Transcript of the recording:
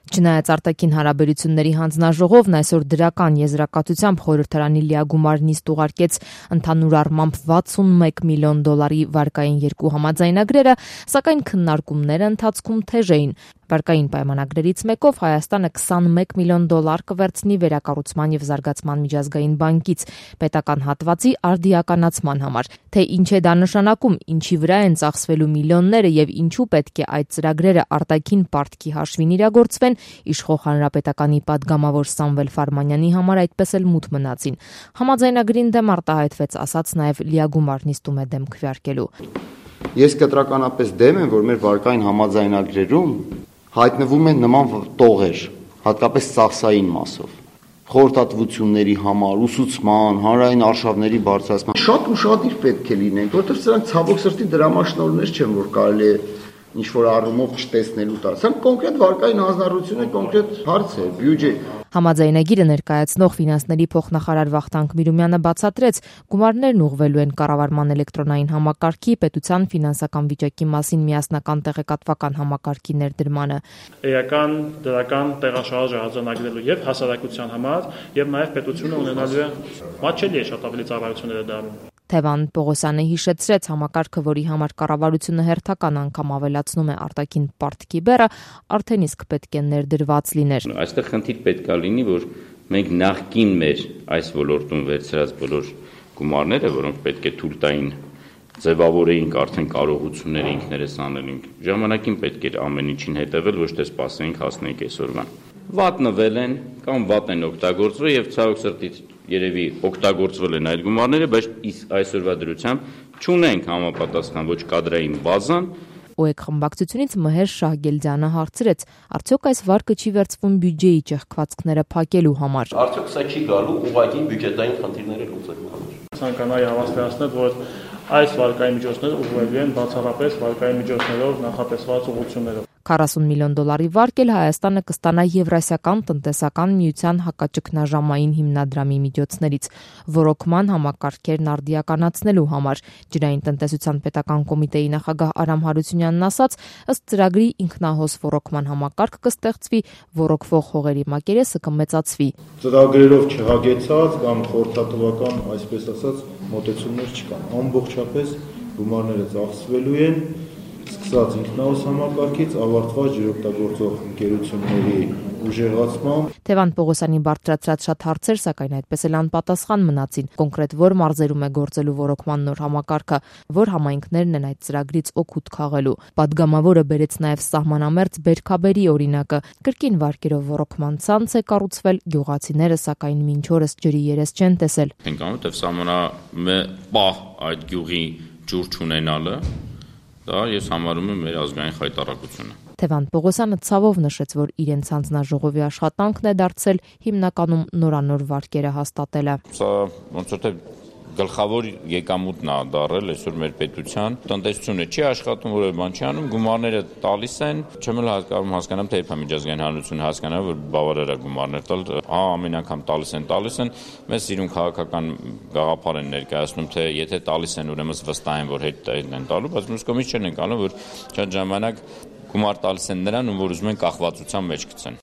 Չնայած արտաքին հարաբերությունների հանձնաժողովն այսօր դրական եզրակացությամբ խորհրդարանի լիագումար նիստ ուղարկեց ընդհանուր առմամբ $61 միլիոն վարկային երկու համաձայնագրերը, սակայն քննարկումները ընթացքում թեժ էին։ Վարկային պայմանագրերից մեկով Հայաստանը $21 միլիոն կվերցնի վերակառուցման եւ զարգացման միջազգային բանկից պետական հատվածի արդիականացման համար։ Թե ինչ է դա նշանակում, ինչի վրա են ծախսվելու միլիոնները եւ ինչու պետք է այդ ծրագրերը արտաքին պարտքի հաշվին իրագործվեն, իշխող հանրապետականի падգամավոր Սամվել Ֆարմանյանի համար այդպես էլ մութ մնացին։ Համաձայնագրին դեմ արտահայտվեց ասած նաեւ լիագումար նիստում է դեմ քվեարկելու։ Ես կտրականապես դեմ եմ, որ մեր վարկային համաձայնագրերում հայտնվում են նման տողեր, հատկապես ծախսային մասով, խորհրդատվությունների համար, ուսուցման, հանրային արշավների բարձրացման։ Շատ ուշադիր պետք է լինենք, որովհետև սրանք ցավոք սրտի դրամաշնորհներ չեն, որ կարելի է ինչ-որ առումով չտեսնելու տալ։ Սրանք կոնկրետ վարկային հանձնառություն է, կոնկրետ հարց է, բյուջե։ Համաձայնագիրը ներկայացնող ֆինանսների փոխնախարար Վախթանգ Միրումյանը բացատրեց, գումարներն ուղղվելու են կառավարման էլեկտրոնային համակարգի, պետության ֆինանսական վիճակի մասին միասնական տեղեկատվական համակարգի ներդրմանը։ Էական դրական տեղաշարժը արձանագրելու եւ հասարակության համար եւ նաեւ պետությունը ունենալու է մատչելի է շատ ավելի ծառայությունները դառնում։ Թևան Պողոսյանը հիշեցրեց համակարգը, որի համար կառավարությունը հերթական անգամ ավելացնում է արտաքին պարտքի բեռը, արդեն իսկ պետք է ներդրված լիներ։ Այստեղ խնդիր պետք է լինի, որ մենք նախկին մեր այս ոլորտում վերցրած բոլոր գումարները, որոնք պետք է թույլ տային ձևավորեինք արդեն կարողությունները ինքներս անելինք, ժամանակին պետք էր ամեն ինչին հետևել, ոչ թե սպասենք հասնենք այսօրվան։ Վատնվել են կամ վատ են օգտագործվել եւ ցավոք սրտի երևի օգտագործվել են այդ գումարները, բայց այսօրվա դրությամբ չունենք համապատասխան ոչ կադրային բազան։ ՕԵԿ խմբակցությունից Մհեր Շահգելդյանը հարցրեց, արդյոք այս վարկը չի վերցվում բյուջեի ճեղքվածքները փակելու համար։ Արդյոք սա չի գալու ուղղակի բյուջետային խնդիրները լուծելու համար։ Ցանկանայի հավաստիացնել, որ այս վարկային միջոցները ուղղվելու են բացառապես վարկային միջոցներով նախատեսված ուղղություններով։ $40 միլիոն վարկ էլ Հայաստանը կստանա Եվրասիական տնտեսական միության հակաճգնաժամային հիմնադրամի միջոցներից ոռոգման համակարգերն արդիականացնելու համար։ Ջրային տնտեսության պետական կոմիտեի նախագահ Արամ Հարությունյանն ասաց, ըստ ծրագրի ինքնահոս ոռոգման համակարգ կստեղծվի, ոռոգվող հողերի մակերեսը կմեծացվի։ Ծրագրերով չհագեցած կամ խորհրդատվական, այսպես ասած, մոտեցումներ չկան։ Ամբողջապես գումարները ծախսվելու են սկսած ինքնահոս համակարգից ավարտված ջրօգտագործող ընկերությունների ուժեղացմամբ։ Թևան Պողոսյանի բարձրացրած շատ հարցեր, սակայն այդպես էլ անպատասխան մնացին։ Կոնկրետ որ մարզերում է գործելու ոռոգման նոր համակարգը, որ համայնքներն են այդ ծրագրից օգուտ քաղելու։ Պատգամավորը բերեց նաև սահմանամերձ Բերքաբերի օրինակը։ Կրկին վարկերով ոռոգման ցանց է կառուցվել, գյուղացիները սակայն մինչ օրս ջրի երես չեն տեսել։ Որտեվ սահմանամե պահ այդ գյուղի ջուր չունենալը դա ես համարում եմ մեր ազգային խայտառակությունը։ Թևան Պողոսյանը ցավով նշեց, որ իրենց հանձնաժողովի աշխատանքն է դարձել հիմնականում նորանոր վարկերը հաստատելը։ Սա ոնց որ թե գլխավոր եկամուտն է դարել այսօր մեր պետության, տնտեսությունը չի աշխատում, որևէ բան չի անում, գումարները տալիս են, չեմ էլ հասկանամ, թե երբ միջազգային հանրությունը հասկանա, որ բավարար է գումարներ տալ, ամեն անգամ տալիս են, մեզ սիրուն քաղաքական գաղափար են ներկայացնում, թե եթե տալիս են, ուրեմն վստահ են, որ հետ են տալու, բայց մյուս կողմից չեն անում, որ շատ ժամանակ գումար տալիս են նրան, որ ուզում են կախվածության մեջ գցեն։